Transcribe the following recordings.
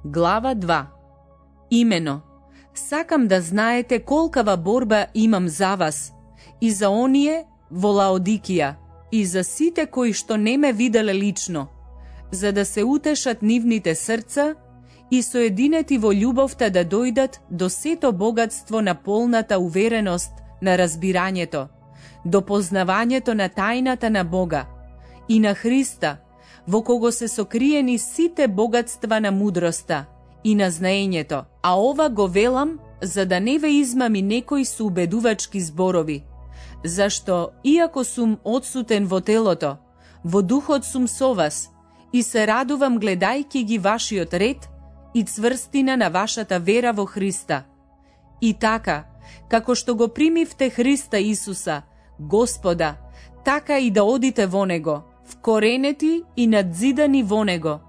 Глава 2. Имено, сакам да знаете колкава борба имам за вас и за оние во Лаодикија и за сите кои што не ме виделе лично, за да се утешат нивните срца и соединети во љубовта да дојдат до сето богатство на полната увереност на разбирањето, до познавањето на тајната на Бога и на Христа, во кого се сокриени сите богатства на мудроста и на знаењето. А ова го велам за да не ве измами некој со убедувачки зборови, зашто, иако сум одсутен во телото, во духот сум со вас и се радувам гледајќи ги вашиот ред и цврстина на вашата вера во Христа. И така, како што го примивте Христа Исуса, Господа, така и да одите во Него, вкоренети и надзидани во Него,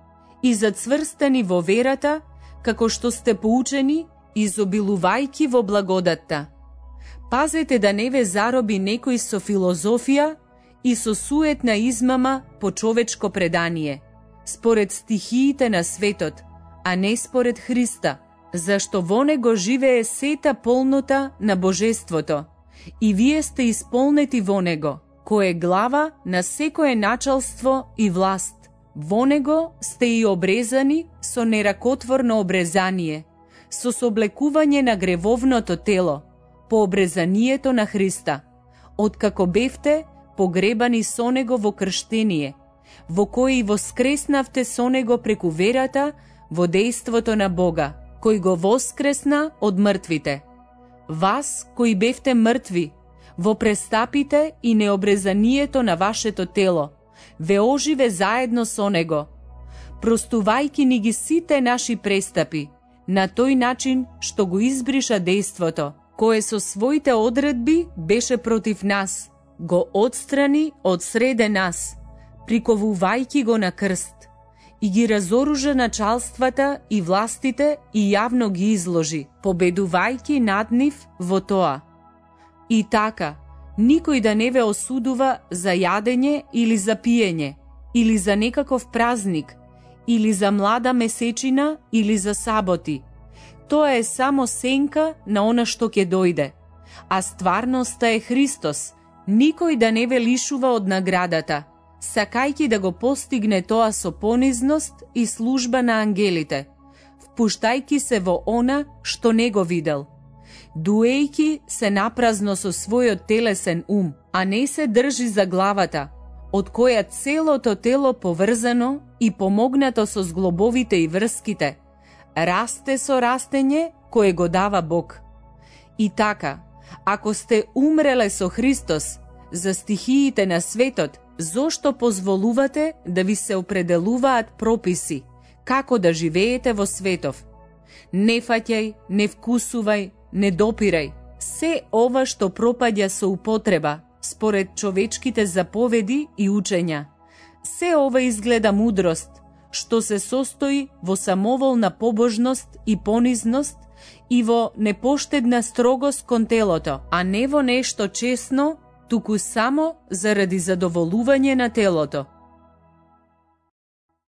и зацврстени во верата, како што сте поучени, изобилувајки во благодатта. Пазете да не ве зароби некој со филозофија и со суетна измама по човечко предание, според стихиите на светот, а не според Христа, зашто во Него живее сета полнота на Божеството, и вие сте исполнети во Него, кој е глава на секое началство и власт. Во Него сте и обрезани со неракотворно обрезание, со соблекување на гревовното тело, по обрезанието на Христа, откако бевте погребани со Него во крштение, во кој и воскреснавте со Него преку верата во дејството на Бога, кој го воскресна од мртвите. Вас, кои бевте мртви, во престапите и необрезанието на вашето тело, ве оживе заедно со Него, простувајки ни ги сите наши престапи, на тој начин што го избриша дејството, кое со своите одредби беше против нас, го отстрани од среде нас, приковувајки го на крст, и ги разоружа началствата и властите и јавно ги изложи, победувајки над нив во тоа. И така, никој да не ве осудува за јадење или за пиење, или за некаков празник, или за млада месечина, или за саботи. Тоа е само сенка на она што ќе дојде, а стварноста е Христос. Никој да не ве лишува од наградата, сакајќи да го постигне тоа со понизност и служба на ангелите, впуштајќи се во она што не го видел, дуејќи се напразно со својот телесен ум, а не се држи за главата, од која целото тело поврзано и помогнато со зглобовите и врските, расте со растење кое го дава Бог. И така, ако сте умреле со Христос за стихиите на светот, зошто позволувате да ви се определуваат прописи, како да живеете во светов? Не фаќај, не вкусувај, не допирај. Се ова што пропаѓа со употреба, според човечките заповеди и учења. Се ова изгледа мудрост, што се состои во самоволна побожност и понизност и во непоштедна строгост кон телото, а не во нешто чесно, туку само заради задоволување на телото.